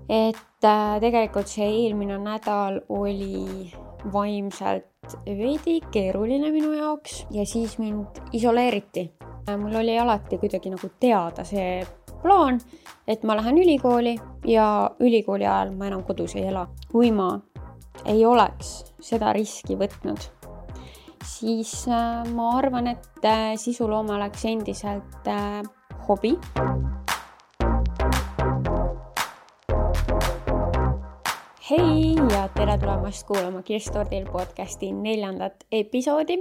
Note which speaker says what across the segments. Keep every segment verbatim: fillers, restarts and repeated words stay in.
Speaker 1: et äh, tegelikult see eelmine nädal oli vaimselt veidi keeruline minu jaoks ja siis mind isoleeriti. Mul oli alati kuidagi nagu teada see plaan, et ma lähen ülikooli ja ülikooli ajal ma enam kodus ei ela. Kui ma ei oleks seda riski võtnud, siis äh, ma arvan, et äh, sisuloome oleks endiselt äh, hobi. Hei ja tere tulemast kuulama Kirstordil podcasti neljandat episoodi.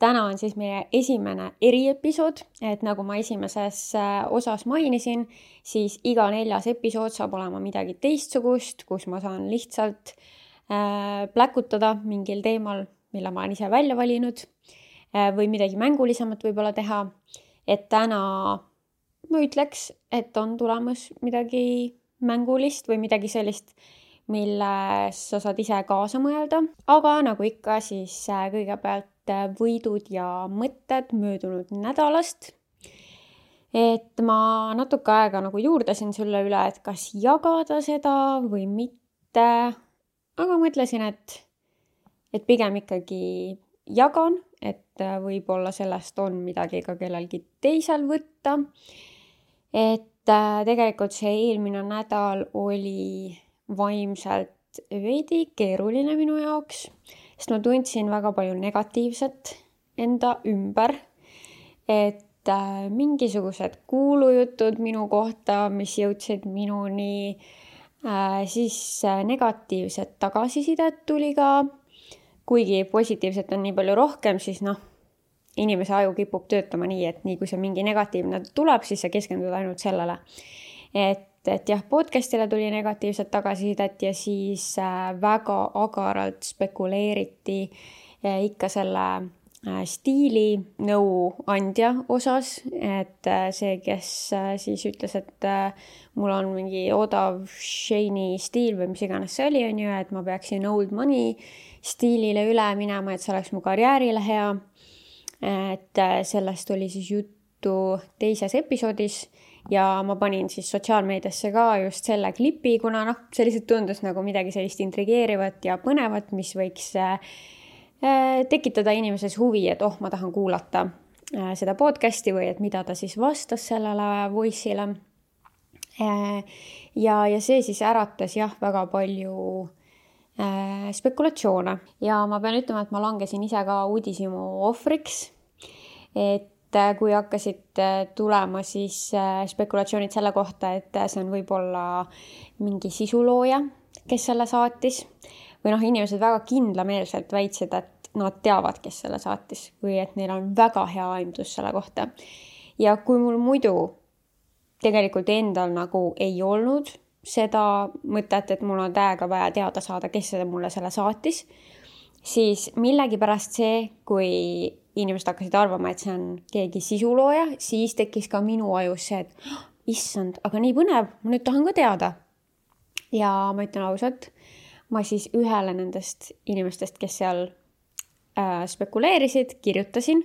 Speaker 1: Täna on siis meie esimene eriepisood, et nagu ma esimeses osas mainisin, siis iga neljas episood saab olema midagi teistsugust, kus ma saan lihtsalt äh, pläkutada mingil teemal, mille ma olen ise välja valinud äh, või midagi mängulisemat võib-olla teha. Et täna ma ütleks, et on tulemas midagi mängulist või midagi sellist, milles sa saad ise kaasa mõelda. Aga nagu ikka, siis kõigepealt võidud ja mõtted möödunud nädalast. Et ma natuke aega nagu juurdasin sulle üle, et kas jagada seda või mitte. Aga mõtlesin, et, et pigem ikkagi jagan, et võib-olla sellest on midagi ka kellelgi teisel võtta. Et tegelikult see eelmine nädal oli vaimselt veidi keeruline minu jaoks, sest ma tundsin väga palju negatiivset enda ümber, et äh, mingisugused kuulujutud minu kohta, mis jõudsid minuni, äh, siis äh, negatiivset tagasisidet tuli ka, kuigi positiivset on nii palju rohkem, siis noh, inimese aju kipub töötama nii, et nii kui see mingi negatiivne tuleb, siis sa keskendud ainult sellele, et et jah, podcastile tuli negatiivset tagasisidet ja siis väga agaralt spekuleeriti ikka selle stiili nõuandja osas, et see, kes siis ütles, et mul on mingi odav shiny stiil või mis iganes see oli, on ju, et ma peaksin old money stiilile üle minema, et see oleks mu karjäärile hea. Et sellest oli siis juttu teises episoodis. Ja ma panin siis sotsiaalmeediasse ka just selle klipi, kuna noh, see lihtsalt tundus nagu midagi sellist intrigeerivat ja põnevat, mis võiks äh, tekitada inimeses huvi, et oh, ma tahan kuulata äh, seda podcasti või et mida ta siis vastas sellele voice'ile. Äh, ja, ja see siis äratas jah, väga palju äh, spekulatsioone. Ja ma pean ütlema, et ma langesin ise ka uudishimu ohvriks, et kui hakkasid tulema siis spekulatsioonid selle kohta, et see on võib-olla mingi sisulooja, kes selle saatis. Või noh, inimesed väga kindlameelselt väitsid, et nad teavad, kes selle saatis. Või et neil on väga hea aimdus selle kohta. Ja kui mul muidu tegelikult endal nagu ei olnud seda mõtet, et mul on täiega vaja teada saada, kes seda mulle selle saatis, siis millegi pärast see, kui inimesed hakkasid arvama, et see on keegi sisulooja, siis tekkis ka minu ajus see, et oh, issand, aga nii põnev, ma nüüd tahan ka teada. Ja ma ütlen ausalt, ma siis ühele nendest inimestest, kes seal äh, spekuleerisid, kirjutasin,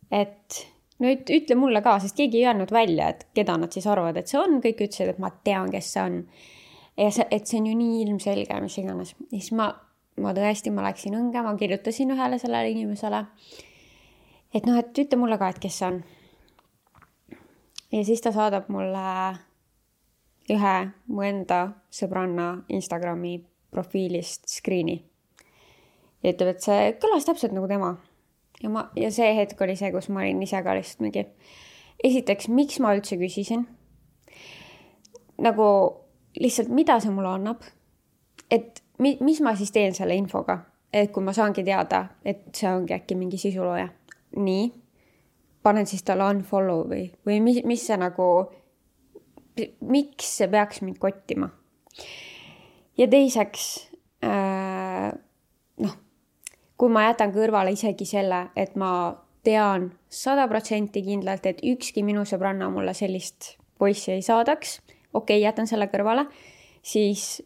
Speaker 1: et nüüd ütle mulle ka, sest keegi ei öelnud välja, et keda nad siis arvavad, et see on. Kõik ütlesid, et ma tean, kes see on. Ja see, et see on ju nii ilmselge, mis iganes. Ja siis ma, ma tõesti, ma läksin õnge, ma kirjutasin ühele sellele inimesele, et noh, et ütle mulle ka, et kes see on. Ja siis ta saadab mulle ühe mu enda sõbranna Instagrami profiilist screeni. Ja ütleb, et see kõlas täpselt nagu tema. Ja, ma, ja see hetk oli see, kus ma olin ise ka lihtsalt mingi. Esiteks, miks ma üldse küsisin? Nagu lihtsalt, mida see mulle annab? Et mi, mis ma siis teen selle infoga? Et kui ma saangi teada, et see ongi äkki mingi sisulooja. Nii, panen siis talle unfollow või, või mis, mis see nagu, miks see peaks mind kottima. Ja teiseks, äh, noh, kui ma jätan kõrvale isegi selle, et ma tean sada protsenti kindlalt, et ükski minu sõbranna mulle sellist poissi ei saadaks, okei, jätan selle kõrvale, siis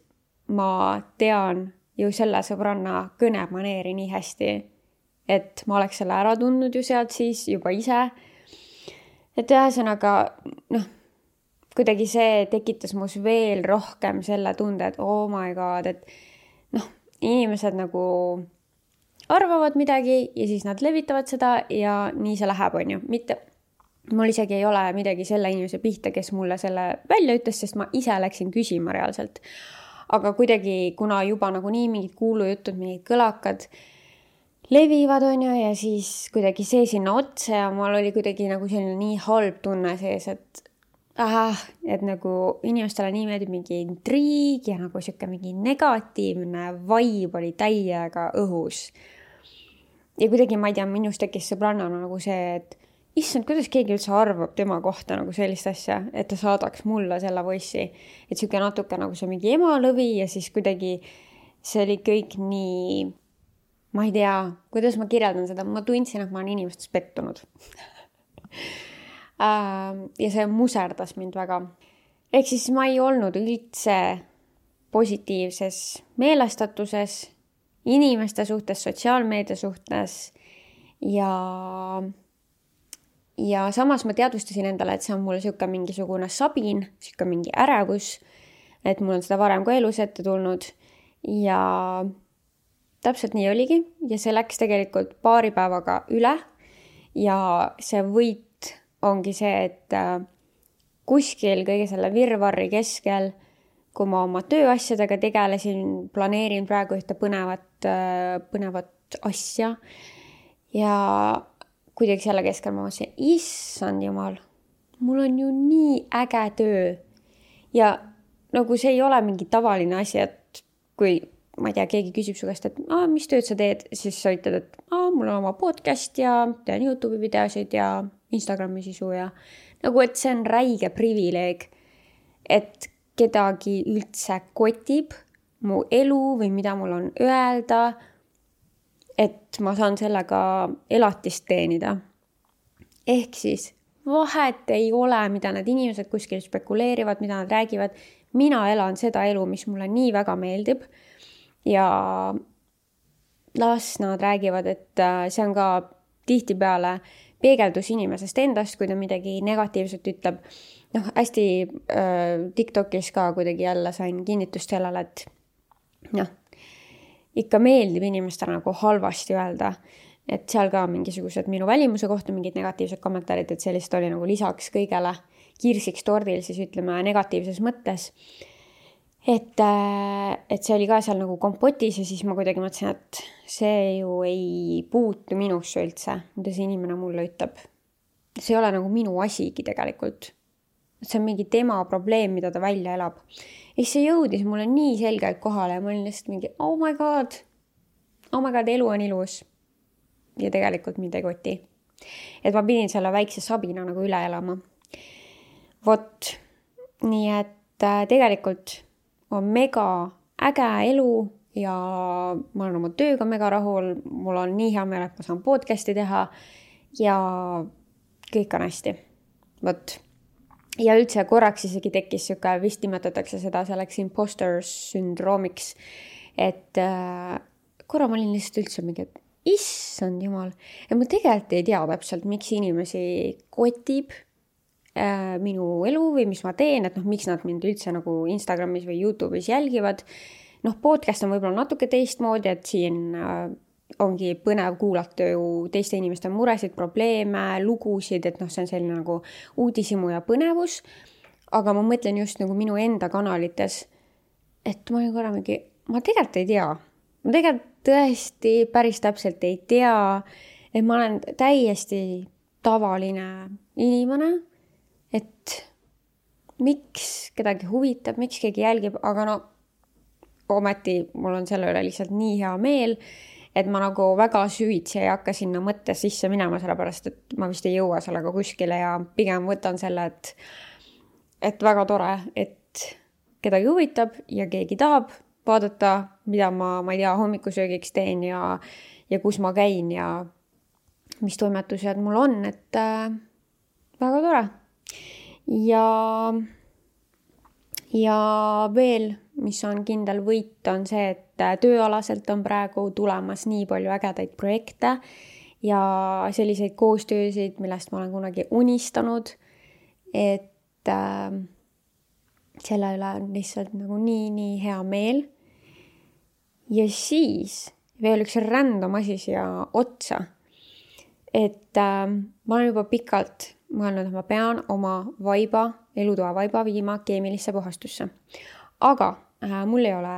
Speaker 1: ma tean ju selle sõbranna kõnemaneeri nii hästi, et ma oleks selle ära tundnud ju sealt siis juba ise. Et ühesõnaga, noh, kuidagi see tekitas mus veel rohkem selle tunde, et oh my god, et noh, inimesed nagu arvavad midagi ja siis nad levitavad seda ja nii see läheb, on ju. Mitte, mul isegi ei ole midagi selle inimese pihta, kes mulle selle välja ütles, sest ma ise läksin küsima reaalselt. Aga kuidagi, kuna juba nagu nii mingid kuulujutud, mingid kõlakad levivad, on ju, ja siis kuidagi see sinna otsa ja mul oli kuidagi nagu selline nii halb tunne sees, et ah, et nagu inimestele nii meeldib mingi intriig ja nagu siuke mingi negatiivne vibe oli täiega õhus. Ja kuidagi, ma ei tea, minust tekkis sõbrannana nagu see, et issand, kuidas keegi üldse arvab tema kohta nagu sellist asja, et ta saadaks mulle selle voice'i. Et siuke natuke nagu see mingi emalõvi ja siis kuidagi see oli kõik nii, ma ei tea, kuidas ma kirjeldan seda, ma tundsin, et ma olen inimestes pettunud. Ja see muserdas mind väga. Ehk siis ma ei olnud üldse positiivses meelestatuses, inimeste suhtes, sotsiaalmeedia suhtes ja, ja samas ma teadvustasin endale, et see on mul siuke mingisugune sabin, siuke mingi ärevus, et mul on seda varem ka elus ette tulnud ja täpselt nii oligi ja see läks tegelikult paari päevaga üle ja see võit ongi see, et kuskil kõige selle virvarri keskel, kui ma oma tööasjadega tegelesin, planeerin praegu ühte põnevat, põnevat asja ja kuidagi selle keskel ma mõtlesin, issand jumal, mul on ju nii äge töö ja nagu see ei ole mingi tavaline asi, et kui ma ei tea, keegi küsib su käest, et ah, mis tööd sa teed, siis sa ütled, et ah, mul on oma podcast ja teen YouTube'i videosid ja Instagrami sisu ja nagu, et see on räige privileeg, et kedagi üldse kotib mu elu või mida mul on öelda, et ma saan sellega elatist teenida. Ehk siis vahet ei ole, mida need inimesed kuskil spekuleerivad, mida nad räägivad. Mina elan seda elu, mis mulle nii väga meeldib. Ja las nad räägivad, et see on ka tihtipeale peegeldus inimesest endast, kui ta midagi negatiivset ütleb. Noh, hästi äh, TikTokis ka kuidagi jälle sain kinnitust sellele, et noh, ikka meeldib inimestele nagu halvasti öelda, et seal ka mingisugused minu välimuse kohta mingid negatiivsed kommentaarid, et sellist oli nagu lisaks kõigele kirsiks tordil, siis ütleme negatiivses mõttes. Et, et see oli ka seal nagu kompotis ja siis ma kuidagi mõtlesin, et see ju ei puutu minusse üldse, mida see inimene mulle ütleb. See ei ole nagu minu asigi tegelikult. See on mingi tema probleem, mida ta välja elab. Ja see jõudis mulle nii selgelt kohale ja ma olin lihtsalt mingi, oh my god, oh my god, elu on ilus. Ja tegelikult mind ei koti. Et ma pidin selle väikse sabina nagu üle elama. Vot, nii et tegelikult on mega äge elu ja ma olen oma tööga mega rahul, mul on nii hea meel, et ma saan podcasti teha ja kõik on hästi. Vot. Ja üldse korraks isegi tekkis siuke, vist nimetatakse seda selleks imposter sündroomiks, et äh, korra ma olin lihtsalt üldse mingi, et issand jumal, ja ma tegelikult ei tea täpselt, miks inimesi kotib minu elu või mis ma teen, et noh, miks nad mind üldse nagu Instagramis või YouTube'is jälgivad. Noh, podcast on võib-olla natuke teistmoodi, et siin ongi põnev kuulata ju teiste inimeste muresid, probleeme, lugusid, et noh, see on selline nagu uudishimu ja põnevus. Aga ma mõtlen just nagu minu enda kanalites, et ma olin korra mingi, ma tegelikult ei tea. Ma tegelikult tõesti päris täpselt ei tea, et ma olen täiesti tavaline inimene, et miks kedagi huvitab, miks keegi jälgib, aga no ometi mul on selle üle lihtsalt nii hea meel, et ma nagu väga süvitsi ei hakka sinna mõttes sisse minema, sellepärast, et ma vist ei jõua sellega kuskile ja pigem võtan selle, et, et väga tore, et kedagi huvitab ja keegi tahab vaadata, mida ma, ma ei tea, hommikusöögiks teen ja, ja kus ma käin ja mis toimetused mul on, et äh, väga tore. Ja, ja veel, mis on kindel võit, on see, et tööalaselt on praegu tulemas nii palju ägedaid projekte ja selliseid koostöösid, millest ma olen kunagi unistanud, et äh, selle üle on lihtsalt nagu nii, nii hea meel. Ja siis veel üks random asi siia otsa. Et äh, ma olen juba pikalt mõelnud, et ma pean oma vaiba, elutoa vaiba viima keemilisse puhastusse. Aga äh, mul ei ole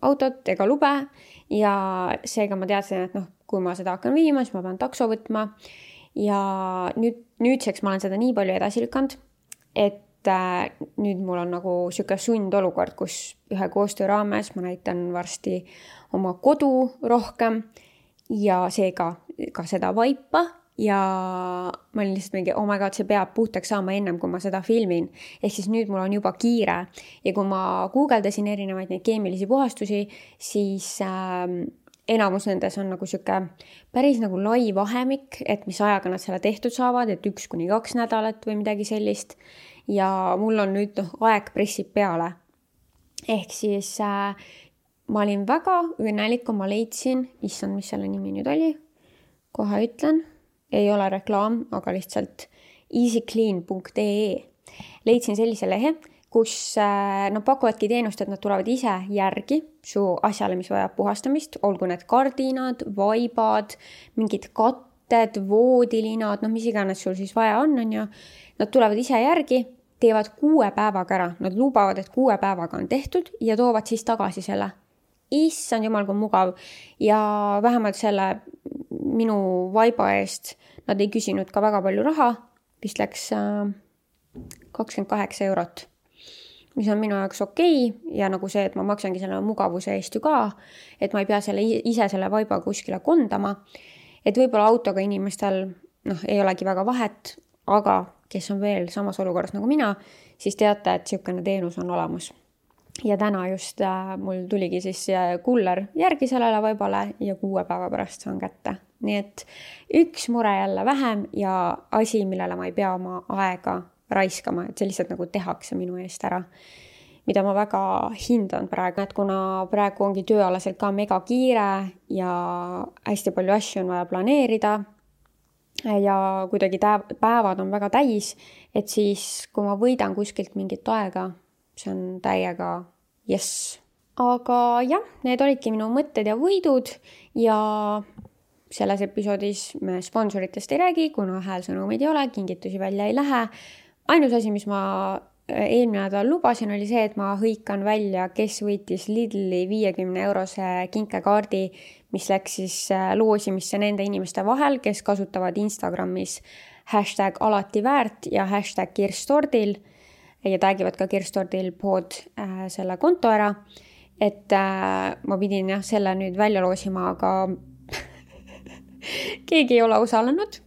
Speaker 1: autot ega lube ja seega ma teadsin, et noh, kui ma seda hakkan viima, siis ma pean takso võtma. Ja nüüd, nüüdseks ma olen seda nii palju edasi lükanud, et äh, nüüd mul on nagu siuke sundolukord, kus ühe koostöö raames ma näitan varsti oma kodu rohkem ja seega ka seda vaipa ja ma olin lihtsalt mingi, oh my god, see peab puhtaks saama ennem, kui ma seda filmin. Ehk siis nüüd mul on juba kiire ja kui ma guugeldasin erinevaid neid keemilisi puhastusi, siis äh, enamus nendes on nagu siuke päris nagu lai vahemik, et mis ajaga nad selle tehtud saavad, et üks kuni kaks nädalat või midagi sellist. Ja mul on nüüd noh, aeg pressib peale. Ehk siis äh, ma olin väga õnnelik, kui ma leidsin, issand, mis selle nimi nüüd oli, kohe ütlen, ei ole reklaam, aga lihtsalt easyclean punkt ee. Leidsin sellise lehe, kus äh, nad pakuvadki teenust, et nad tulevad ise järgi su asjale, mis vajab puhastamist, olgu need kardinad, vaibad, mingid katted, voodilinad, noh mis iganes sul siis vaja on, on ju. Nad tulevad ise järgi, teevad kuue päevaga ära. Nad lubavad, et kuue päevaga on tehtud ja toovad siis tagasi selle. Issand jumal, kui mugav. Ja vähemalt selle minu vaiba eest nad ei küsinud ka väga palju raha. Vist läks kakskümmend kaheksa eurot, mis on minu jaoks okei. Ja nagu see, et ma maksangi selle mugavuse eest ju ka, et ma ei pea selle, ise selle vaiba kuskile kondama. Et võib-olla autoga inimestel noh, ei olegi väga vahet, aga kes on veel samas olukorras nagu mina, siis teate, et siukene teenus on olemas. Ja täna just äh, mul tuligi siis kuller järgi sellele vaibale ja kuue päeva pärast saan kätte. Nii et üks mure jälle vähem ja asi, millele ma ei pea oma aega raiskama, et see lihtsalt nagu tehakse minu eest ära, mida ma väga hindan praegu, et kuna praegu ongi tööalaselt ka mega kiire ja hästi palju asju on vaja planeerida ja kuidagi päevad on väga täis, et siis kui ma võidan kuskilt mingit aega, see on täiega yes. Aga jah, need olidki minu mõtted ja võidud ja selles episoodis me sponsoritest ei räägi, kuna häälsõnumid ei ole, kingitusi välja ei lähe. Ainus asi, mis ma eelmine nädal lubasin, oli see, et ma hõikan välja, kes võitis Lidli viiekümne eurose kinkekaardi, mis läks siis loosimisse nende inimeste vahel, kes kasutavad Instagramis hashtag alati väärt ja hashtag kirstordil ja taggivad ka kirstordil pood äh, selle konto ära. Et äh, ma pidin jah, selle nüüd välja loosima, aga keegi ei ole osalenud,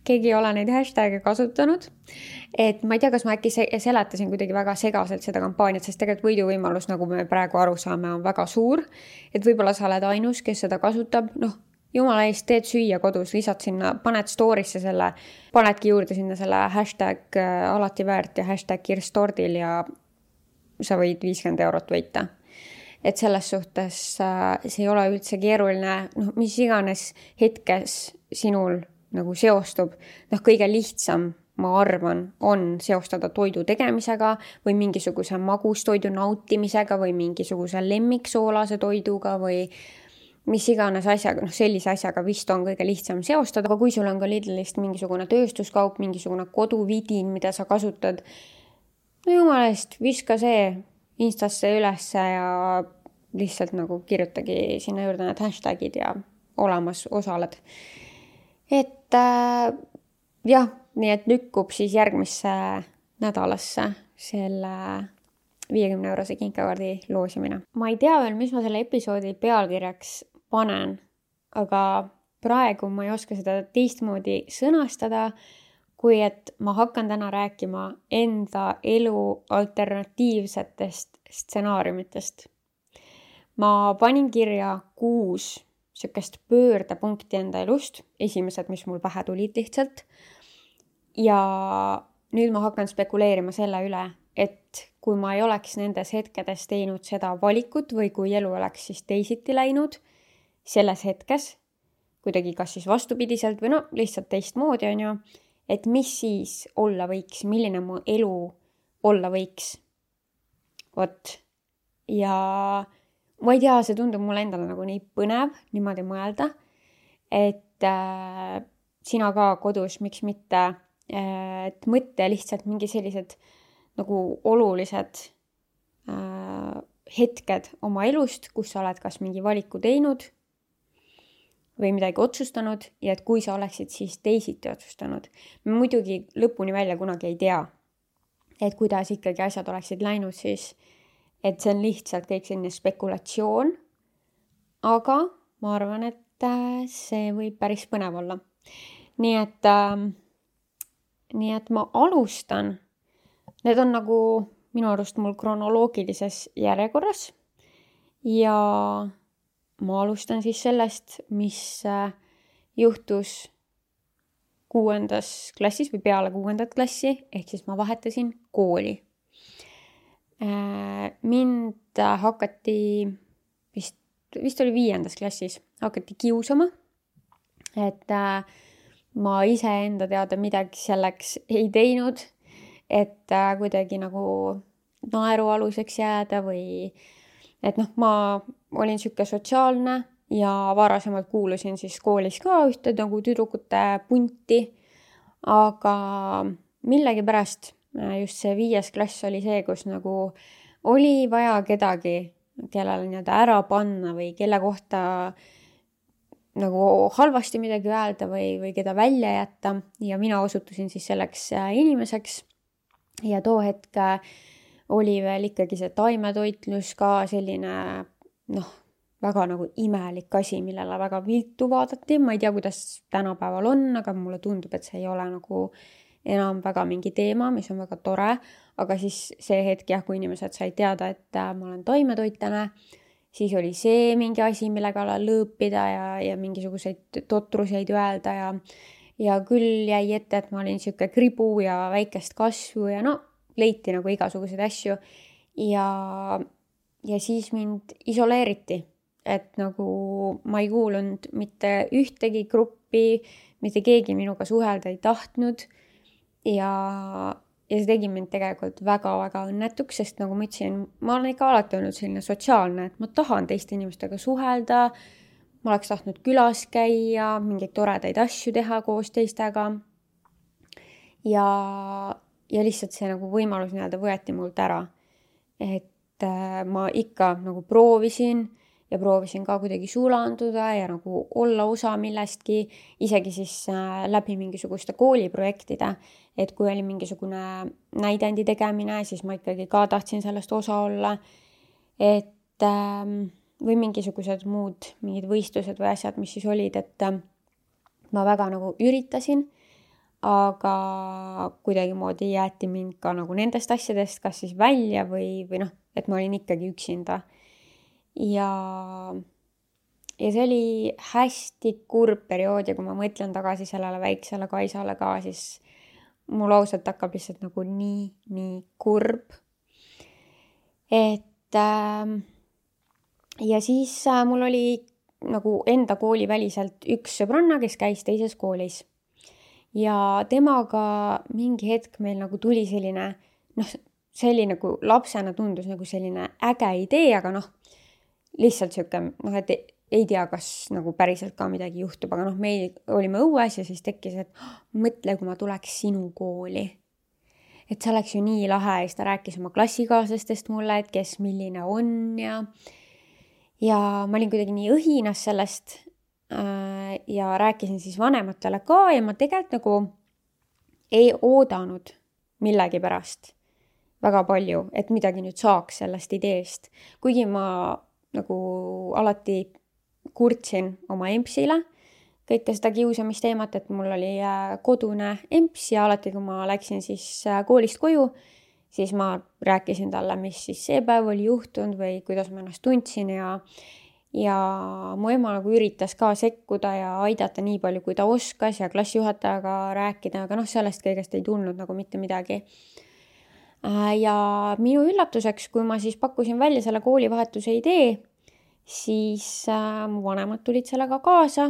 Speaker 1: keegi ei ole neid hashtag'e kasutanud. Et ma ei tea, kas ma äkki seletasin kuidagi väga segaselt seda kampaaniat, sest tegelikult võiduvõimalus, nagu me praegu aru saame, on väga suur. Et võib-olla sa oled ainus, kes seda kasutab. Noh, jumala eest teed süüa kodus, lisad sinna, paned story'sse selle, panedki juurde sinna selle hashtag alati väärt ja hashtag kirstordil ja sa võid viiskümmend eurot võita. Et selles suhtes see ei ole üldse keeruline, noh, mis iganes hetkes sinul nagu seostub. Noh, kõige lihtsam, ma arvan, on seostada toidu tegemisega või mingisuguse magustoidu nautimisega või mingisuguse lemmiksoolase toiduga või mis iganes asjaga, noh sellise asjaga vist on kõige lihtsam seostada, aga kui sul on ka Lidlist mingisugune tööstuskaup, mingisugune koduvidin, mida sa kasutad, no jumala eest, viska see Instasse ülesse ja lihtsalt nagu kirjutagi sinna juurde need hashtagid ja olemas osaled. Et äh, jah, nii et lükkub siis järgmisse nädalasse selle viiekümne eurose kinkekaardi loosimine. Ma ei tea veel, mis ma selle episoodi pealkirjaks panen, aga praegu ma ei oska seda teistmoodi sõnastada, kui et ma hakkan täna rääkima enda elu alternatiivsetest stsenaariumitest. Ma panin kirja kuus sükest pöördepunkti enda elust, esimesed, mis mul pähe tulid lihtsalt. Ja nüüd ma hakkan spekuleerima selle üle, et kui ma ei oleks nendes hetkedes teinud seda valikut või kui elu oleks siis teisiti läinud selles hetkes, kuidagi kas siis vastupidiselt või no lihtsalt teistmoodi on ju, et mis siis olla võiks, milline mu elu olla võiks. vot. Ja ma ei tea, see tundub mulle endale nagu nii põnev niimoodi mõelda, et äh, sina ka kodus, miks mitte, et mõtle lihtsalt mingi sellised nagu olulised äh, hetked oma elust, kus sa oled kas mingi valiku teinud või midagi otsustanud ja et kui sa oleksid siis teisiti otsustanud. Me muidugi lõpuni välja kunagi ei tea, et kuidas ikkagi asjad oleksid läinud siis, et see on lihtsalt kõik selline spekulatsioon, aga ma arvan, et see võib päris põnev olla. Nii et, äh, nii et ma alustan. Need on nagu minu arust mul kronoloogilises järjekorras ja ma alustan siis sellest, mis juhtus kuuendas klassis või peale kuuendat klassi, ehk siis ma vahetasin kooli. Mind hakati, vist, vist oli viiendas klassis, hakati kiusama, et ma ise enda teada midagi selleks ei teinud, et kuidagi nagu naerualuseks jääda või et noh, ma olin siuke sotsiaalne ja varasemalt kuulusin siis koolis ka ühte nagu tüdrukute punti, aga millegi pärast just see viies klass oli see, kus nagu oli vaja kedagi, kellele nii-öelda ära panna või kelle kohta nagu halvasti midagi öelda või, või keda välja jätta ja mina osutusin siis selleks inimeseks ja too hetk oli veel ikkagi see taimetoitlus ka selline noh, väga nagu imelik asi, millele väga viltu vaadati. Ma ei tea, kuidas tänapäeval on, aga mulle tundub, et see ei ole nagu enam väga mingi teema, mis on väga tore. Aga siis see hetk jah, kui inimesed sai teada, et ma olen taimetoitlane, siis oli see mingi asi, millega lõõpida ja, ja mingisuguseid totruseid öelda ja, ja küll jäi ette, et ma olin siuke kribu ja väikest kasvu ja no leiti nagu igasuguseid asju ja, ja siis mind isoleeriti, et nagu ma ei kuulunud mitte ühtegi gruppi, mitte keegi minuga suhelda ei tahtnud ja, ja see tegi mind tegelikult väga-väga õnnetuks, sest nagu ma ütlesin, ma olen ikka alati olnud selline sotsiaalne, et ma tahan teiste inimestega suhelda, ma oleks tahtnud külas käia, mingeid toredaid asju teha koos teistega ja Ja lihtsalt see nagu võimalus nii-öelda võeti mult ära. Et äh, ma ikka nagu proovisin ja proovisin ka kuidagi sulanduda ja nagu olla osa millestki, isegi siis äh, läbi mingisuguste kooliprojektide. Et kui oli mingisugune näidendi tegemine, siis ma ikkagi ka tahtsin sellest osa olla. Et äh, või mingisugused muud, mingid võistlused või asjad, mis siis olid, et äh, ma väga nagu üritasin. Aga kuidagi moodi jäeti mind ka nagu nendest asjadest kas siis välja või, või noh, et ma olin ikkagi üksinda. Ja, ja see oli hästi kurb periood ja kui ma mõtlen tagasi sellele väiksele Kaisale ka, siis mul ausalt hakkab lihtsalt nagu nii, nii kurb. Et äh, ja siis äh, mul oli nagu enda kooli väliselt üks sõbranna, kes käis teises koolis. Ja temaga mingi hetk meil nagu tuli selline, noh, selline nagu lapsena tundus nagu selline äge idee, aga noh, lihtsalt siuke, noh, et ei tea, kas nagu päriselt ka midagi juhtub, aga noh, me olime õues ja siis tekkis, et oh, mõtle, kui ma tuleks sinu kooli. Et see oleks ju nii lahe ja siis ta rääkis oma klassikaaslastest mulle, et kes milline on ja, ja ma olin kuidagi nii õhinas sellest ja rääkisin siis vanematele ka ja ma tegelikult nagu ei oodanud millegi pärast väga palju, et midagi nüüd saaks sellest ideest. Kuigi ma nagu alati kurtsin oma empsile kõike seda kiusamisteemat, et mul oli kodune emps ja alati kui ma läksin siis koolist koju, siis ma rääkisin talle, mis siis see päev oli juhtunud või kuidas ma ennast tundsin ja Ja mu ema nagu üritas ka sekkuda ja aidata nii palju, kui ta oskas ja klassijuhatajaga rääkida, aga noh, sellest kõigest ei tulnud nagu mitte midagi. Ja minu üllatuseks, kui ma siis pakkusin välja selle koolivahetuse idee, siis mu vanemad tulid sellega kaasa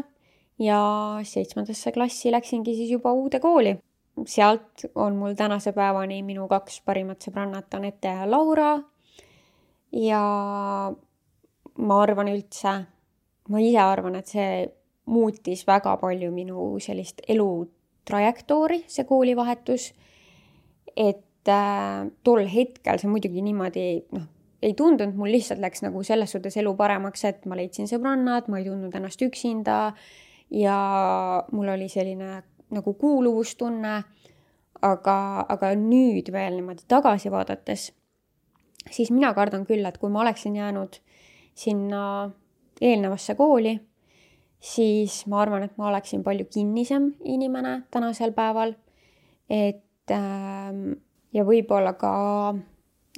Speaker 1: ja seitsmendasse klassi läksingi siis juba uude kooli. Sealt on mul tänase päevani minu kaks parimat sõbrannat Anette ja Laura. ja ma arvan üldse, ma ise arvan, et see muutis väga palju minu sellist elu trajektoori, see koolivahetus, et äh, tol hetkel see muidugi niimoodi, noh, ei tundunud, mul lihtsalt läks nagu selles suhtes elu paremaks, et ma leidsin sõbrannad, ma ei tundnud ennast üksinda ja mul oli selline nagu kuuluvustunne, aga, aga nüüd veel niimoodi tagasi vaadates, siis mina kardan küll, et kui ma oleksin jäänud sinna eelnevasse kooli, siis ma arvan, et ma oleksin palju kinnisem inimene tänasel päeval, et äh, ja võib-olla ka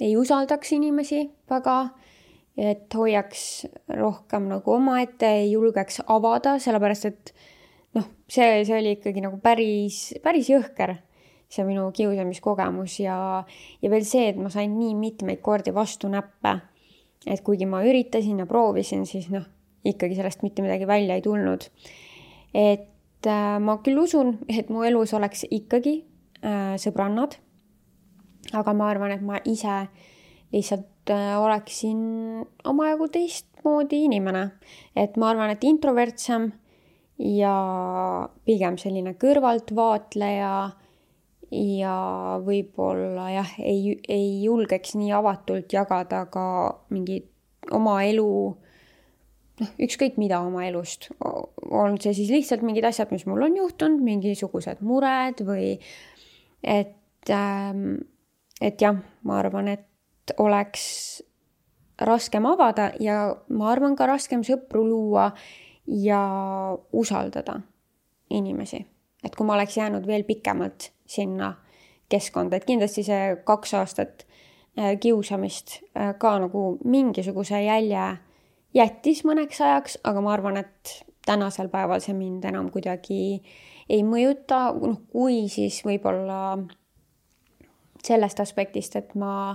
Speaker 1: ei usaldaks inimesi väga, et hoiaks rohkem nagu omaette, ei julgeks avada, sellepärast et noh, see, see oli ikkagi nagu päris, päris jõhker, see minu kiusamiskogemus ja, ja veel see, et ma sain nii mitmeid kordi vastu näppe, et kuigi ma üritasin ja proovisin, siis noh, ikkagi sellest mitte midagi välja ei tulnud. Et äh, ma küll usun, et mu elus oleks ikkagi äh, sõbrannad, aga ma arvan, et ma ise lihtsalt äh, oleksin omajagu teistmoodi inimene. Et ma arvan, et introvertsem ja pigem selline kõrvaltvaatleja ja võib-olla jah, ei, ei julgeks nii avatult jagada ka mingi oma elu, noh, ükskõik mida oma elust. On see siis lihtsalt mingid asjad, mis mul on juhtunud, mingisugused mured või et, ähm, et jah, ma arvan, et oleks raskem avada ja ma arvan ka raskem sõpru luua ja usaldada inimesi. Et kui ma oleks jäänud veel pikemalt sinna keskkonda, et kindlasti see kaks aastat kiusamist ka nagu mingisuguse jälje jättis mõneks ajaks, aga ma arvan, et tänasel päeval see mind enam kuidagi ei mõjuta, noh, kui siis võib-olla sellest aspektist, et ma,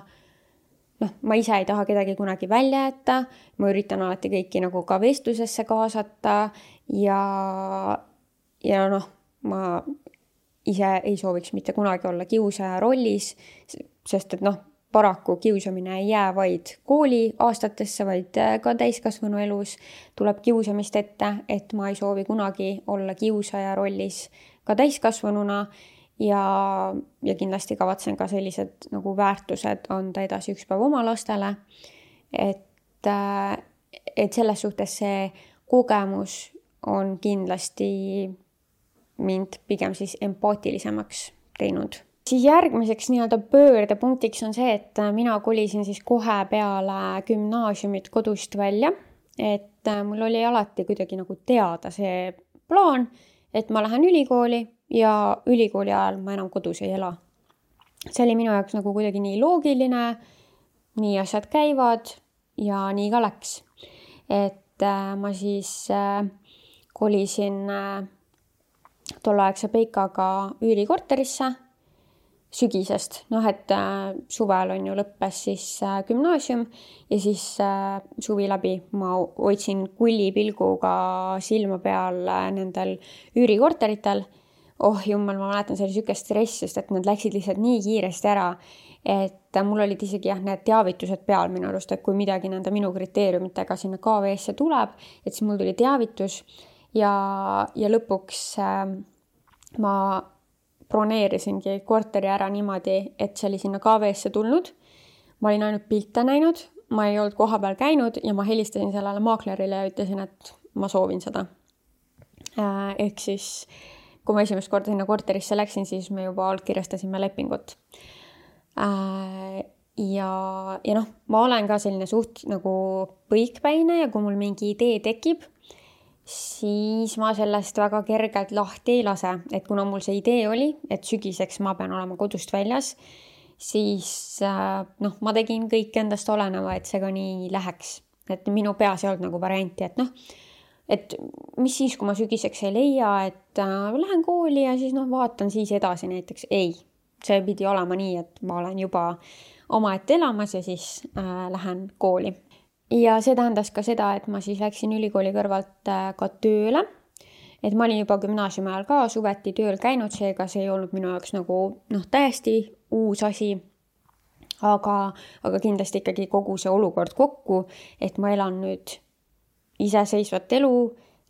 Speaker 1: noh, ma ise ei taha kedagi kunagi välja jätta, ma üritan alati kõiki nagu ka vestlusesse kaasata ja, ja noh, ma ise ei sooviks mitte kunagi olla kiusaja rollis, sest et noh, paraku kiusamine ei jää vaid kooli aastatesse, vaid ka täiskasvanu elus tuleb kiusamist ette, et ma ei soovi kunagi olla kiusaja rollis ka täiskasvanuna ja, ja kindlasti kavatsen ka sellised nagu väärtused anda edasi üks päev oma lastele, et, et selles suhtes see kogemus on kindlasti mind pigem siis empaatilisemaks teinud. Siis järgmiseks nii-öelda pöördepunktiks on see, et mina kolisin siis kohe peale gümnaasiumit kodust välja, et mul oli alati kuidagi nagu teada see plaan, et ma lähen ülikooli ja ülikooli ajal ma enam kodus ei ela. See oli minu jaoks nagu kuidagi nii loogiline, nii asjad käivad ja nii ka läks. Et ma siis kolisin tolleaegse Peikaga üürikorterisse sügisest, noh, et äh, suvel on ju lõppes siis äh, gümnaasium ja siis äh, suvi läbi ma otsin kullipilguga silma peal äh, nendel üürikorteritel. Oh jumal, ma mäletan, see oli sükest stress, sest et nad läksid lihtsalt nii kiiresti ära, et äh, mul olid isegi jah, need teavitused peal minu arust, et kui midagi nende minu kriteeriumitega sinna K V S-e tuleb, et siis mul tuli teavitus ja, ja lõpuks äh, ma broneerisingi korteri ära niimoodi, et see oli sinna K V S-e tulnud. Ma olin ainult pilte näinud, ma ei olnud koha peal käinud ja ma helistasin sellele maaklerile ja ütlesin, et ma soovin seda. Ehk siis, kui ma esimest korda sinna korterisse läksin, siis me juba allkirjastasime lepingut. Ja, ja noh, ma olen ka selline suht nagu põikpäine ja kui mul mingi idee tekib, siis ma sellest väga kergelt lahti ei lase, et kuna mul see idee oli, et sügiseks ma pean olema kodust väljas, siis noh, ma tegin kõik endast oleneva, et see ka nii läheks. Et minu peas ei olnud nagu varianti, et noh, et mis siis, kui ma sügiseks ei leia, et äh, lähen kooli ja siis noh, vaatan siis edasi näiteks. Ei, see pidi olema nii, et ma olen juba omaette elamas ja siis äh, lähen kooli. Ja see tähendas ka seda, et ma siis läksin ülikooli kõrvalt ka tööle. Et ma olin juba gümnaasiumi ajal ka suveti tööl käinud, seega see ei olnud minu jaoks nagu noh, täiesti uus asi. aga, aga kindlasti ikkagi kogu see olukord kokku, et ma elan nüüd iseseisvat elu,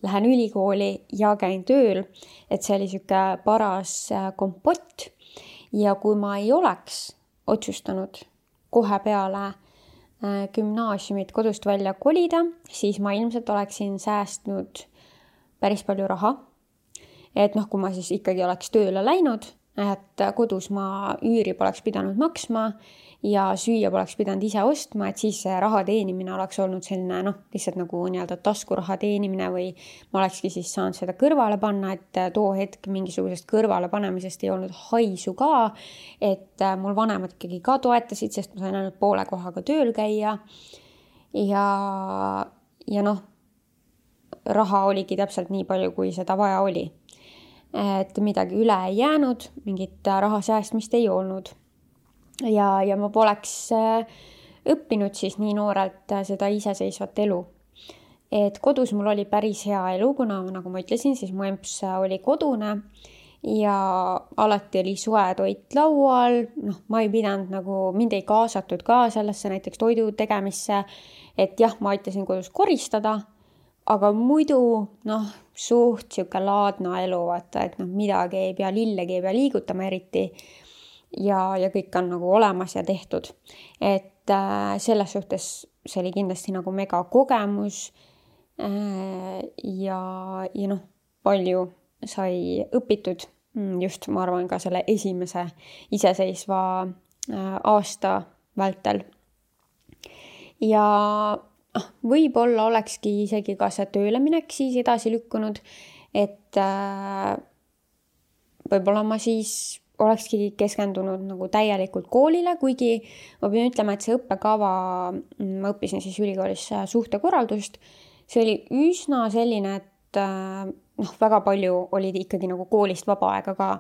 Speaker 1: lähen ülikooli ja käin tööl, et see oli siuke paras kompott. Ja kui ma ei oleks otsustanud kohe peale gümnaasiumit kodust välja kolida, siis ma ilmselt oleksin säästnud päris palju raha. Et noh, kui ma siis ikkagi oleks tööle läinud, et kodus ma üüri poleks pidanud maksma ja süüa poleks pidanud ise ostma, et siis see raha teenimine oleks olnud selline noh, lihtsalt nagu nii-öelda taskuraha teenimine või ma olekski siis saanud seda kõrvale panna, et too hetk mingisugusest kõrvale panemisest ei olnud haisu ka, et mul vanemad ikkagi ka toetasid, sest ma sain ainult poole kohaga tööl käia ja, ja noh, raha oligi täpselt nii palju, kui seda vaja oli. Et midagi üle ei jäänud, mingit raha säästmist ei olnud. Ja, ja ma poleks õppinud siis nii noorelt seda iseseisvat elu. Et kodus mul oli päris hea elu, kuna nagu ma ütlesin, siis mu emps oli kodune ja alati oli soe toit laual. Noh, ma ei pidanud nagu, mind ei kaasatud ka sellesse näiteks toidu tegemisse, et jah, ma aitasin kodus koristada, aga muidu noh, suht siuke laadna elu, vaata, et noh, midagi ei pea, lillegi ei pea liigutama eriti ja, ja kõik on nagu olemas ja tehtud. Et äh, selles suhtes see oli kindlasti nagu mega kogemus äh, ja, ja noh, palju sai õpitud just, ma arvan, ka selle esimese iseseisva äh, aasta vältel. Ja võib-olla olekski isegi ka see tööle minek siis edasi lükkunud, et äh, võib-olla ma siis olekski keskendunud nagu täielikult koolile, kuigi ma pean ütlema, et see õppekava, ma õppisin siis ülikoolis suhtekorraldust, see oli üsna selline, et äh, noh, väga palju olid ikkagi nagu koolist vaba aega ka,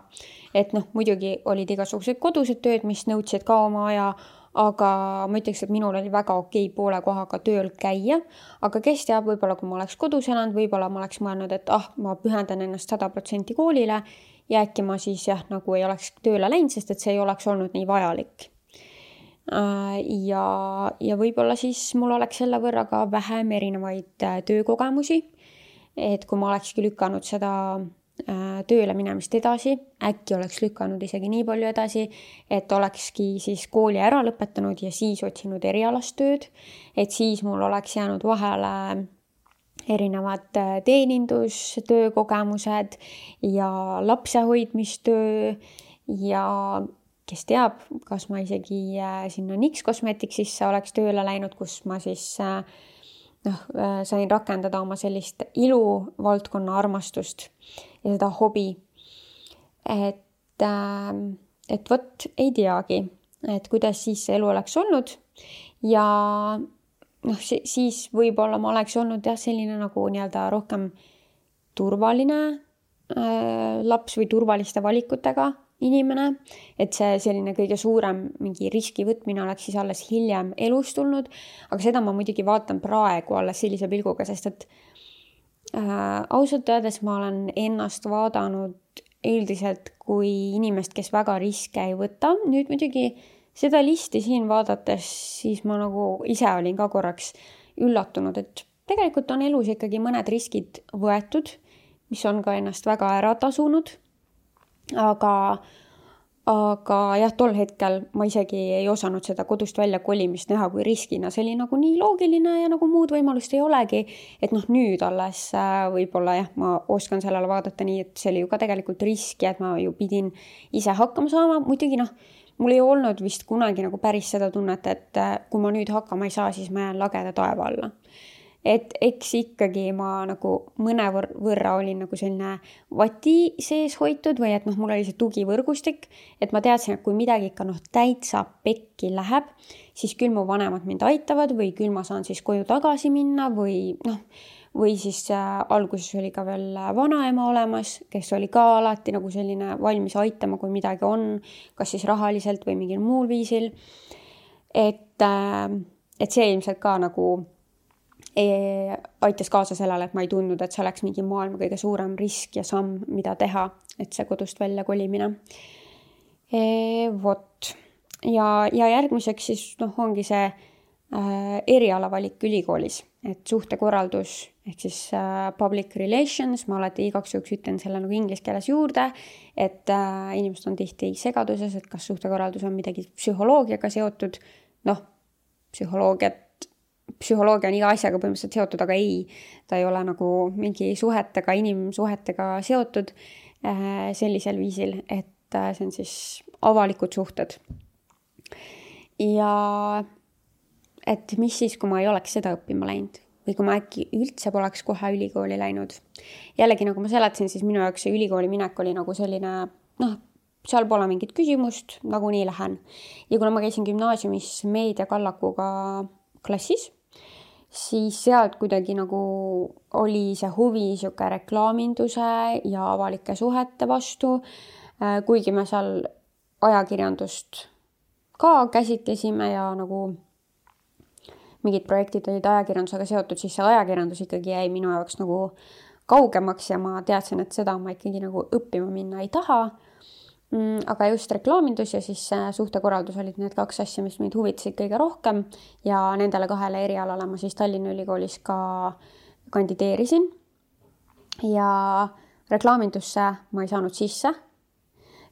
Speaker 1: et noh, muidugi olid igasugused kodused tööd, mis nõudsid ka oma aja, aga ma ütleks, et minul oli väga okei poole kohaga tööl käia, aga kes teab, võib-olla kui ma oleks kodus elanud, võib-olla ma oleks mõelnud, et ah, ma pühendan ennast sada protsenti koolile ja äkki ma siis jah, nagu ei oleks tööle läinud, sest et see ei oleks olnud nii vajalik. Ja, ja võib-olla siis mul oleks selle võrra ka vähem erinevaid töökogemusi, et kui ma olekski lükanud seda tööle minemist edasi, äkki oleks lükanud isegi nii palju edasi, et olekski siis kooli ära lõpetanud ja siis otsinud erialast tööd, et siis mul oleks jäänud vahele erinevad teenindustöö kogemused ja lapsehoidmistöö ja kes teab, kas ma isegi sinna N I X Cosmeticsisse oleks tööle läinud, kus ma siis noh, sain rakendada oma sellist iluvaldkonna armastust ja seda hobi. Et, et võt ei teagi, et kuidas siis see elu oleks olnud ja noh, siis võib-olla ma oleks olnud jah, selline nagu nii-öelda rohkem turvaline äh, laps või turvaliste valikutega inimene, et see selline kõige suurem mingi riski võtmine oleks siis alles hiljem elus tulnud, aga seda ma muidugi vaatan praegu alles sellise pilguga, sest et äh, ausalt öeldes ma olen ennast vaadanud üldiselt kui inimest, kes väga riske ei võta. Nüüd muidugi seda listi siin vaadates, siis ma nagu ise olin ka korraks üllatunud, et tegelikult on elus ikkagi mõned riskid võetud, mis on ka ennast väga ära tasunud. Aga, aga jah, tol hetkel ma isegi ei osanud seda kodust välja kolimist näha kui riskina. See oli nagu nii loogiline ja nagu muud võimalust ei olegi. Et noh, nüüd alles võib-olla jah, ma oskan sellele vaadata nii, et see oli ju ka tegelikult riski, et ma ju pidin ise hakkama saama. Muidugi noh, mul ei olnud vist kunagi nagu päris seda tunnet, et kui ma nüüd hakkama ei saa, siis ma jään lageda taeva alla. Et eks ikkagi ma nagu mõne võrra olin nagu selline vati sees hoitud või et noh, mul oli see tugivõrgustik, et ma teadsin, et kui midagi ikka noh täitsa pekki läheb, siis küll mu vanemad mind aitavad või küll ma saan siis koju tagasi minna või noh, või siis äh, alguses oli ka veel vanaema olemas, kes oli ka alati nagu selline valmis aitama, kui midagi on, kas siis rahaliselt või mingil muul viisil. Et, äh, et see ilmselt ka nagu e, aitas kaasa sellele, et ma ei tundnud, et see oleks mingi maailma kõige suurem risk ja samm, mida teha, et see kodust välja kolimine. E, vot. ja, ja järgmiseks siis noh, ongi see äh, erialavalik ülikoolis, et suhtekorraldus ehk siis äh, public relations, ma alati igaks juhuks ütlen selle nagu inglise keeles juurde, et äh, inimesed on tihti segaduses, et kas suhtekorraldus on midagi psühholoogiaga seotud, noh, psühholoogiat psühholoogia on iga asjaga põhimõtteliselt seotud, aga ei, ta ei ole nagu mingi suhetega, inimsuhetega seotud äh, sellisel viisil, et äh, see on siis avalikud suhted. Ja et mis siis, kui ma ei oleks seda õppima läinud või kui ma äkki üldse poleks kohe ülikooli läinud. Jällegi, nagu ma seletasin, siis minu jaoks see ülikooli minek oli nagu selline, noh, seal pole mingit küsimust, nagu nii lähen. Ja kuna ma käisin gümnaasiumis meediakallakuga klassis, siis sealt kuidagi nagu oli see huvi siuke reklaaminduse ja avalike suhete vastu, kuigi me seal ajakirjandust ka käsitlesime ja nagu mingid projektid olid ajakirjandusega seotud, siis see ajakirjandus ikkagi jäi minu jaoks nagu kaugemaks ja ma teadsin, et seda ma ikkagi nagu õppima minna ei taha. Aga just reklaamindus ja siis suhtekorraldus olid need kaks asja, mis mind huvitasid kõige rohkem ja nendele kahele erialale ma siis Tallinna Ülikoolis ka kandideerisin ja reklaamindusse ma ei saanud sisse.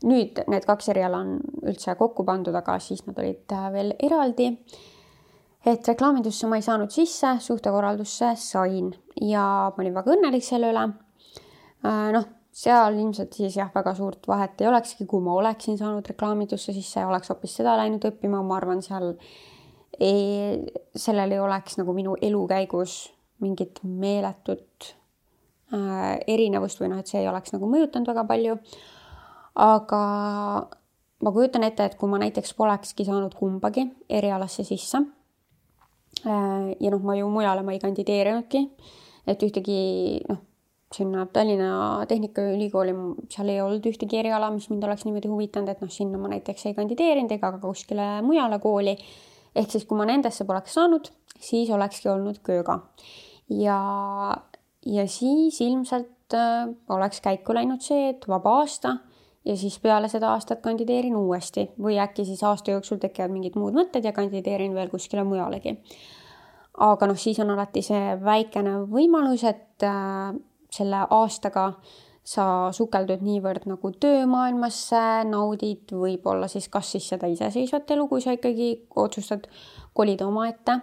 Speaker 1: Nüüd need kaks eriala on üldse kokku pandud, aga siis nad olid veel eraldi. Et reklaamindusse ma ei saanud sisse, suhtekorraldusse sain ja ma olin väga õnnelik selle üle. Noh, seal ilmselt siis jah, väga suurt vahet ei olekski, kui ma oleksin saanud reklaamindusse, siis see oleks hoopis seda läinud õppima. Ma arvan, seal ei, sellel ei oleks nagu minu elu käigus mingit meeletut äh, erinevust või noh, et see ei oleks nagu mõjutanud väga palju. Aga ma kujutan ette, et kui ma näiteks polekski saanud kumbagi erialasse sisse äh, ja noh, ma ju mujale ma ei kandideerinudki, et ühtegi noh, sinna Tallinna Tehnikaülikooli, seal ei olnud ühtegi eriala, mis mind oleks niimoodi huvitanud, et noh, sinna ma näiteks ei kandideerinud ega ka kuskile mujale kooli. Ehk siis, kui ma nendesse poleks saanud, siis olekski olnud kööga. Ja, ja siis ilmselt äh, oleks käiku läinud see, et vaba aasta ja siis peale seda aastat kandideerin uuesti või äkki siis aasta jooksul tekivad mingid muud mõtted ja kandideerin veel kuskile mujalegi. Aga noh, siis on alati see väikene võimalus, et äh, selle aastaga sa sukeldud niivõrd nagu töömaailmasse, naudid võib-olla siis kas siis seda iseseisvat elu, kui sa ikkagi otsustad kolida oma ette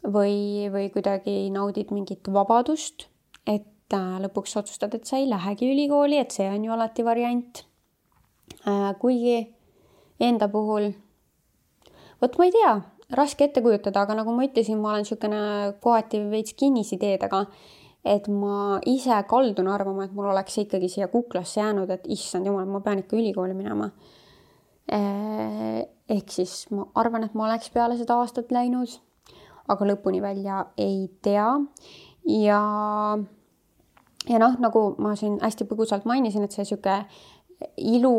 Speaker 1: või, või kuidagi naudid mingit vabadust, et lõpuks otsustad, et sa ei lähegi ülikooli, et see on ju alati variant. Kuigi enda puhul, võt ma ei tea, raske ette kujutada, aga nagu ma ütlesin, ma olen niisugune kohati veits kinnisideedega, et ma ise kaldun arvama, et mul oleks ikkagi siia kuklasse jäänud, et issand jumal, ma pean ikka ülikooli minema. Ehk siis ma arvan, et ma oleks peale seda aastat läinud, aga lõpuni välja ei tea. Ja, ja noh, nagu ma siin hästi põgusalt mainisin, et see siuke ilu,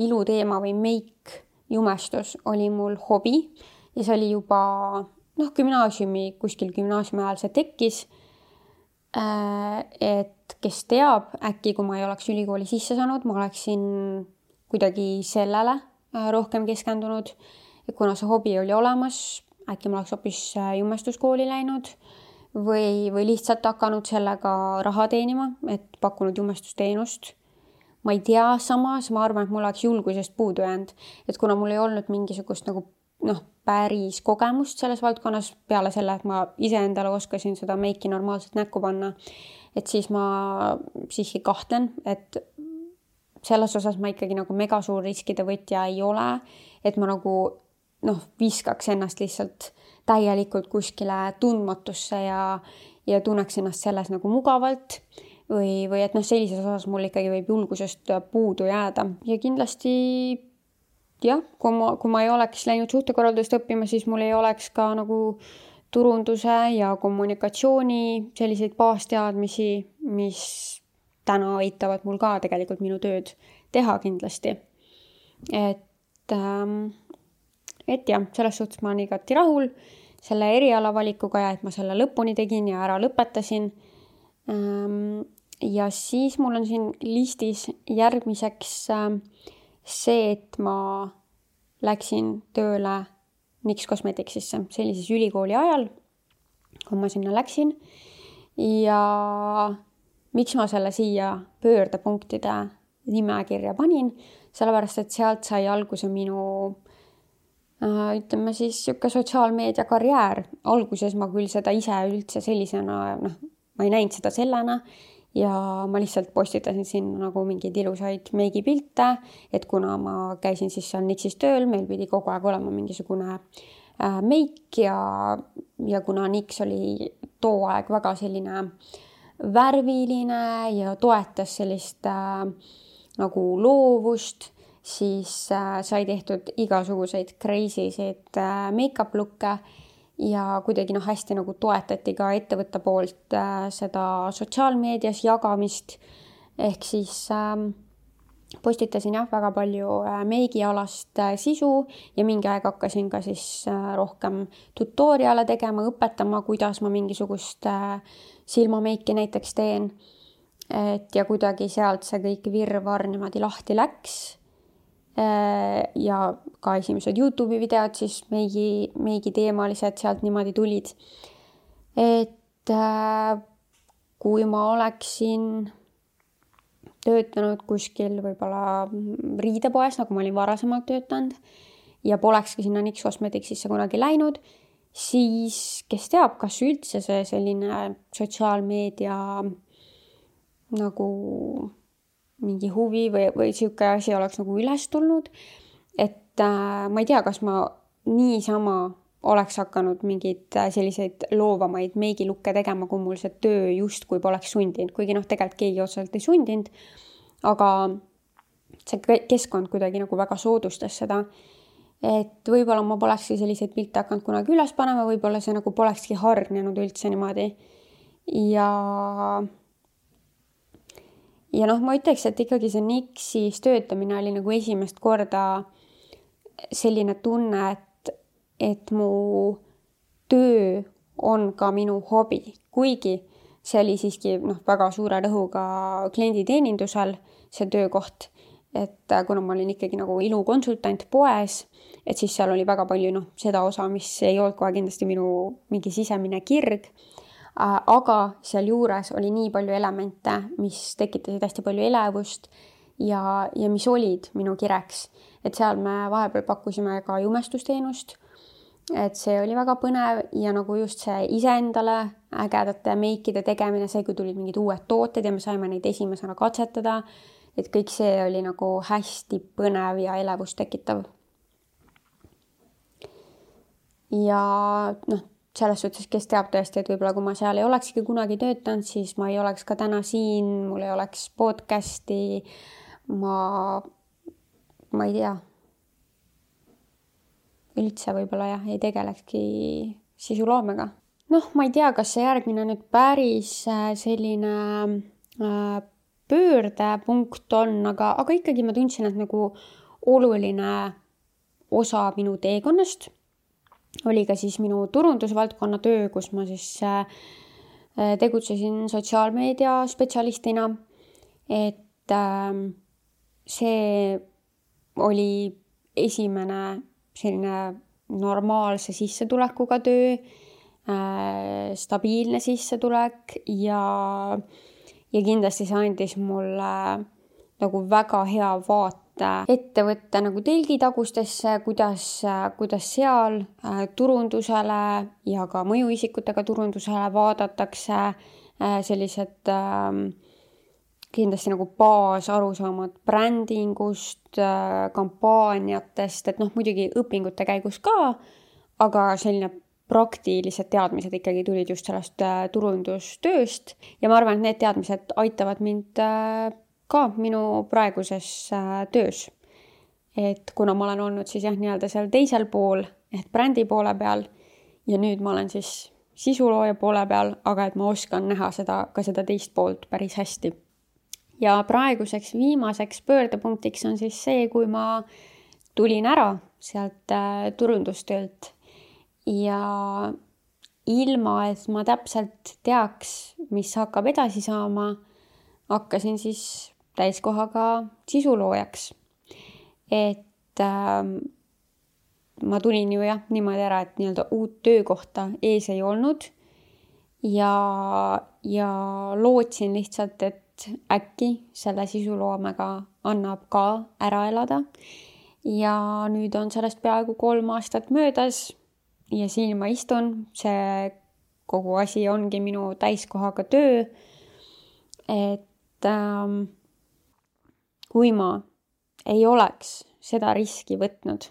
Speaker 1: ilu teema või meik jumestus oli mul hobi ja see oli juba noh, gümnaasiumi, kuskil gümnaasiumi ajal see tekkis. Et kes teab, äkki kui ma ei oleks ülikooli sisse saanud, ma oleksin kuidagi sellele rohkem keskendunud. Et kuna see hobi oli olemas, äkki ma oleks hoopis jumestuskooli läinud või, või lihtsalt hakanud sellega raha teenima, et pakkunud jumestusteenust. Ma ei tea, samas ma arvan, et mul oleks julgusest puudu jäänud, et kuna mul ei olnud mingisugust nagu noh, päris kogemust selles valdkonnas peale selle, et ma iseendale oskasin seda meiki normaalselt näkku panna, et siis ma siiski kahtlen, et selles osas ma ikkagi nagu mega suur riskide võtja ei ole, et ma nagu noh, viskaks ennast lihtsalt täielikult kuskile tundmatusse ja, ja tunneks ennast selles nagu mugavalt või, või et noh, sellises osas mul ikkagi võib julgusest puudu jääda ja kindlasti jah, kui ma, kui ma ei oleks läinud suhtekorraldust õppima, siis mul ei oleks ka nagu turunduse ja kommunikatsiooni selliseid baasteadmisi, mis täna aitavad mul ka tegelikult minu tööd teha kindlasti. Et, et jah, selles suhtes ma olen igati rahul selle erialavalikuga ja et ma selle lõpuni tegin ja ära lõpetasin. Ja siis mul on siin listis järgmiseks see, et ma läksin tööle Nix Cosmeticsisse. See oli siis ülikooli ajal, kui ma sinna läksin. Ja miks ma selle siia pöördepunktide nimekirja panin? Sellepärast, et sealt sai alguse minu ütleme siis siuke sotsiaalmeedia karjäär. Alguses ma küll seda ise üldse sellisena, noh, ma ei näinud seda sellena ja ma lihtsalt postitasin sinna nagu mingeid ilusaid meigipilte, et kuna ma käisin siis seal Nixis tööl, meil pidi kogu aeg olema mingisugune äh, meik ja, ja kuna Nix oli too aeg väga selline värviline ja toetas sellist äh, nagu loovust, siis äh, sai tehtud igasuguseid crazy'sid äh, make-up look'e ja kuidagi noh, hästi nagu toetati ka ettevõtte poolt äh, seda sotsiaalmeedias jagamist. Ehk siis äh, postitasin jah väga palju äh, meigialast äh, sisu ja mingi aeg hakkasin ka siis äh, rohkem tutoriale tegema, õpetama, kuidas ma mingisugust äh, silmameiki näiteks teen. Et ja kuidagi sealt see kõik virvar niimoodi lahti läks. Ja ka esimesed YouTube'i videod siis meigi, meigi teemalised sealt niimoodi tulid. Et äh, kui ma oleksin töötanud kuskil võib-olla riidepoes, nagu ma olin varasemalt töötanud ja polekski sinna Nix Cosmeticsisse kunagi läinud, siis kes teab, kas üldse see selline sotsiaalmeedia nagu mingi huvi või, või siuke asi oleks nagu üles tulnud. Et äh, ma ei tea, kas ma niisama oleks hakanud mingeid selliseid loovamaid meigilukke tegema, kui mul see töö just kui poleks sundinud. Kuigi noh, tegelikult keegi otseselt ei sundinud, aga see keskkond kuidagi nagu väga soodustas seda. Et võib-olla ma polekski selliseid pilte hakanud kunagi üles panema, võib-olla see nagu polekski hargnenud üldse niimoodi. Ja... Ja noh, ma ütleks, et ikkagi see Nixis töötamine oli nagu esimest korda selline tunne, et, et mu töö on ka minu hobi. Kuigi see oli siiski noh, väga suure rõhuga klienditeenindusel see töökoht, et kuna ma olin ikkagi nagu ilukonsultant poes, et siis seal oli väga palju noh, seda osa, mis ei olnud kohe kindlasti minu mingi sisemine kirg. Aga seal juures oli nii palju elemente, mis tekitasid hästi palju elevust ja, ja mis olid minu kireks. Et seal me vahepeal pakkusime ka jumestusteenust, et see oli väga põnev ja nagu just see iseendale ägedate meikide tegemine, see kui tulid mingid uued tooted ja me saime neid esimesena katsetada, et kõik see oli nagu hästi põnev ja elevust tekitav. Ja noh, selles suhtes, kes teab tõesti, et võib-olla kui ma seal ei olekski kunagi töötanud, siis ma ei oleks ka täna siin, mul ei oleks podcasti, ma, ma ei tea, üldse võib-olla jah, ei tegelekski sisuloomega. Noh, ma ei tea, kas see järgmine nüüd päris selline pöördepunkt on, aga, aga ikkagi ma tundsin, et nagu oluline osa minu teekonnast oli ka siis minu turundusvaldkonna töö, kus ma siis tegutsesin sotsiaalmeedia spetsialistina. Et see oli esimene selline normaalse sissetulekuga töö, stabiilne sissetulek ja, ja kindlasti see andis mulle nagu väga hea vaate ettevõtte nagu telgitagustesse, kuidas, kuidas seal turundusele ja ka mõjuisikutega turundusele vaadatakse sellised kindlasti nagu baasarusaamad brändingust, kampaaniatest, et noh, muidugi õpingute käigus ka, aga selline praktilised teadmised ikkagi tulid just sellest turundustööst ja ma arvan, et need teadmised aitavad mind ka minu praeguses töös. Et kuna ma olen olnud siis jah, nii-öelda seal teisel pool, et brändi poole peal ja nüüd ma olen siis sisulooja poole peal, aga et ma oskan näha seda, ka seda teist poolt päris hästi. Ja praeguseks viimaseks pöördepunktiks on siis see, kui ma tulin ära sealt turundustöölt ja ilma, et ma täpselt teaks, mis hakkab edasi saama, hakkasin siis täiskohaga sisuloojaks. Et äh, ma tulin ju jah niimoodi ära, et nii-öelda uut töökohta ees ei olnud ja, ja lootsin lihtsalt, et äkki selle sisuloomega annab ka ära elada. Ja nüüd on sellest peaaegu kolm aastat möödas ja siin ma istun, see kogu asi ongi minu täiskohaga töö, et ähm, kui ma ei oleks seda riski võtnud,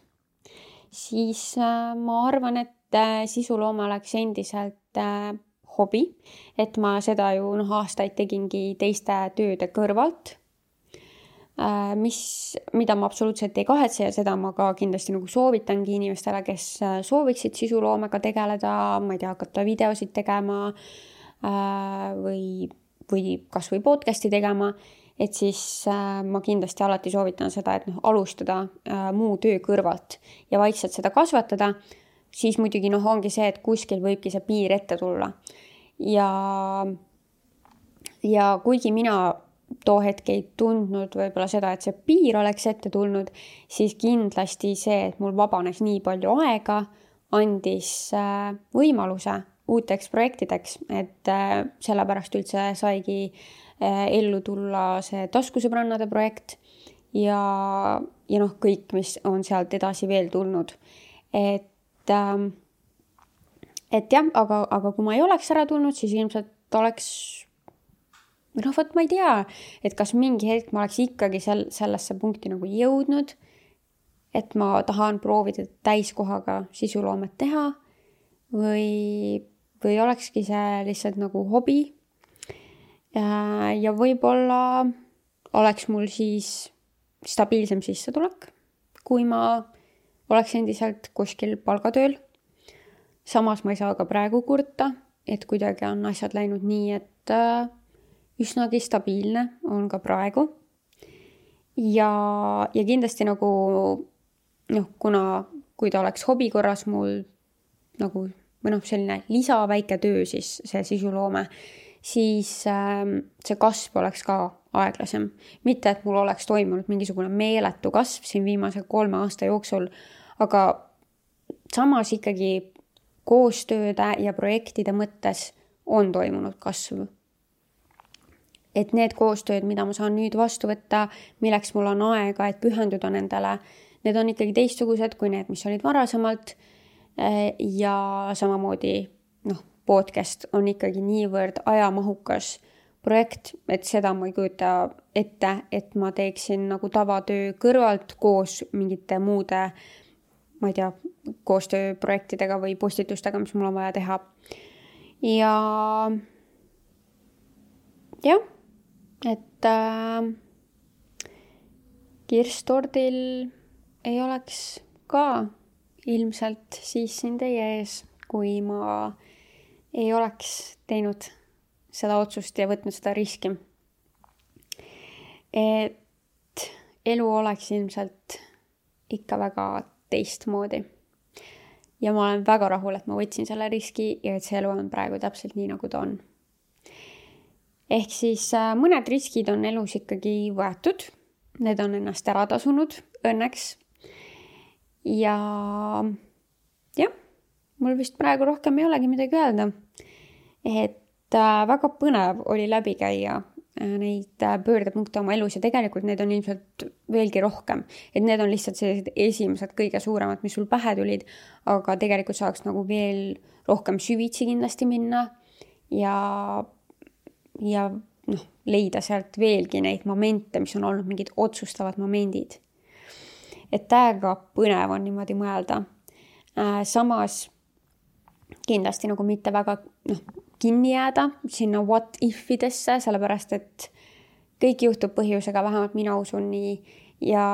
Speaker 1: siis äh, ma arvan, et äh, sisuloome oleks endiselt äh, hobi, et ma seda ju noh, aastaid tegingi teiste tööde kõrvalt, äh, mis, mida ma absoluutselt ei kahetse ja seda ma ka kindlasti nagu soovitangi inimestele, kes äh, sooviksid sisuloomega tegeleda, ma ei tea, hakata videosid tegema äh, või, või kas või podcasti tegema, et siis äh, ma kindlasti alati soovitan seda, et noh, alustada äh, muu töö kõrvalt ja vaikselt seda kasvatada, siis muidugi noh, ongi see, et kuskil võibki see piir ette tulla. Ja, ja kuigi mina too hetk ei tundnud võib-olla seda, et see piir oleks ette tulnud, siis kindlasti see, et mul vabanes nii palju aega, andis äh, võimaluse uuteks projektideks, et äh, sellepärast üldse saigi ellu tulla see taskusõbrannade projekt ja, ja noh, kõik, mis on sealt edasi veel tulnud. Et, et jah, aga, aga kui ma ei oleks ära tulnud, siis ilmselt oleks, või noh, võt ma ei tea, et kas mingi hetk ma oleks ikkagi sel, sellesse punkti nagu jõudnud, et ma tahan proovida täiskohaga sisuloomet teha või, või olekski see lihtsalt nagu hobi. Ja võib-olla oleks mul siis stabiilsem sissetulek, kui ma oleks endiselt kuskil palgatööl. Samas ma ei saa ka praegu kurta, et kuidagi on asjad läinud nii, et üsnagi stabiilne on ka praegu. Ja, ja kindlasti nagu, noh, kuna kui ta oleks hobi korras mul nagu, või noh, selline lisaväike töö, siis see sisuloome, siis äh, see kasv oleks ka aeglasem. Mitte, et mul oleks toimunud mingisugune meeletu kasv siin viimase kolme aasta jooksul, aga samas ikkagi koostööde ja projektide mõttes on toimunud kasv. Et need koostööd, mida ma saan nüüd vastu võtta, milleks mul on aega, et pühenduda nendele, need on ikkagi teistsugused kui need, mis olid varasemalt ja samamoodi noh, podcast on ikkagi niivõrd ajamahukas projekt, et seda ma ei kujuta ette, et ma teeksin nagu tavatöö kõrvalt koos mingite muude, ma ei tea, koostööprojektidega või postitustega, mis mul on vaja teha. Ja jah, et äh, Kirstordil ei oleks ka ilmselt siis siin teie ees, kui ma ei oleks teinud seda otsust ja võtnud seda riski. Et elu oleks ilmselt ikka väga teistmoodi. Ja ma olen väga rahul, et ma võtsin selle riski ja et see elu on praegu täpselt nii, nagu ta on. Ehk siis mõned riskid on elus ikkagi võetud. Need on ennast ära tasunud õnneks. Ja jah, mul vist praegu rohkem ei olegi midagi öelda. Et äh, väga põnev oli läbi käia äh, neid äh, pöördepunkte oma elus ja tegelikult need on ilmselt veelgi rohkem. Et need on lihtsalt sellised esimesed kõige suuremad, mis sul pähe tulid, aga tegelikult saaks nagu veel rohkem süvitsi kindlasti minna ja, ja noh, leida sealt veelgi neid momente, mis on olnud mingid otsustavad momendid. Et täiega põnev on niimoodi mõelda. Äh, samas kindlasti nagu mitte väga noh, kinni jääda sinna what if-idesse, sellepärast et kõik juhtub põhjusega, vähemalt mina usun nii. Ja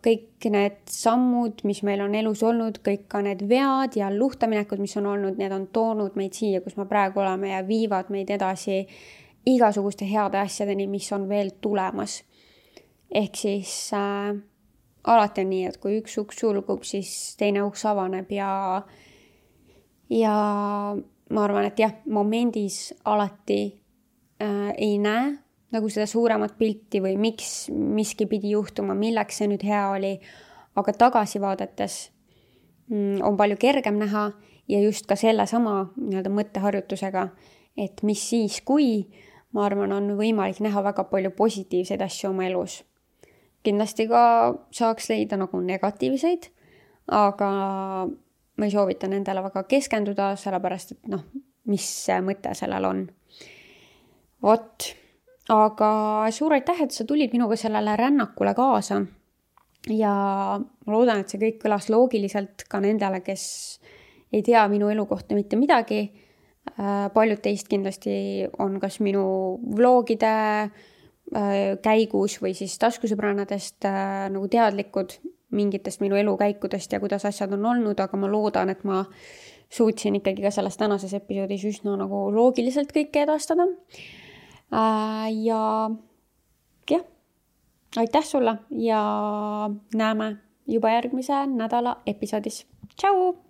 Speaker 1: kõik need sammud, mis meil on elus olnud, kõik ka need vead ja luhtaminekud, mis on olnud, need on toonud meid siia, kus me praegu oleme ja viivad meid edasi igasuguste heade asjadeni, mis on veel tulemas. Ehk siis äh, alati on nii, et kui üks uks sulgub, siis teine uks avaneb ja Ja ma arvan, et jah, momendis alati äh, ei näe nagu seda suuremat pilti või miks miski pidi juhtuma, milleks see nüüd hea oli. Aga tagasi vaadates on palju kergem näha ja just ka selle sama nii-öelda mõtteharjutusega, et mis siis, kui ma arvan, on võimalik näha väga palju positiivseid asju oma elus. Kindlasti ka saaks leida nagu negatiivseid, aga ma ei soovita nendele väga keskenduda, sellepärast, et noh, mis mõte sellel on. Vot, aga suur aitäh, et sa tulid minuga sellele rännakule kaasa ja ma loodan, et see kõik kõlas loogiliselt ka nendele, kes ei tea minu elu kohta mitte midagi. Paljud teist kindlasti on kas minu vlogide käigus või siis taskusõbrannadest nagu teadlikud mingitest minu elukäikudest ja kuidas asjad on olnud, aga ma loodan, et ma suutsin ikkagi ka selles tänases episoodis üsna nagu loogiliselt kõike edastada. Ja jah, aitäh sulle ja näeme juba järgmise nädala episoodis. Tšau!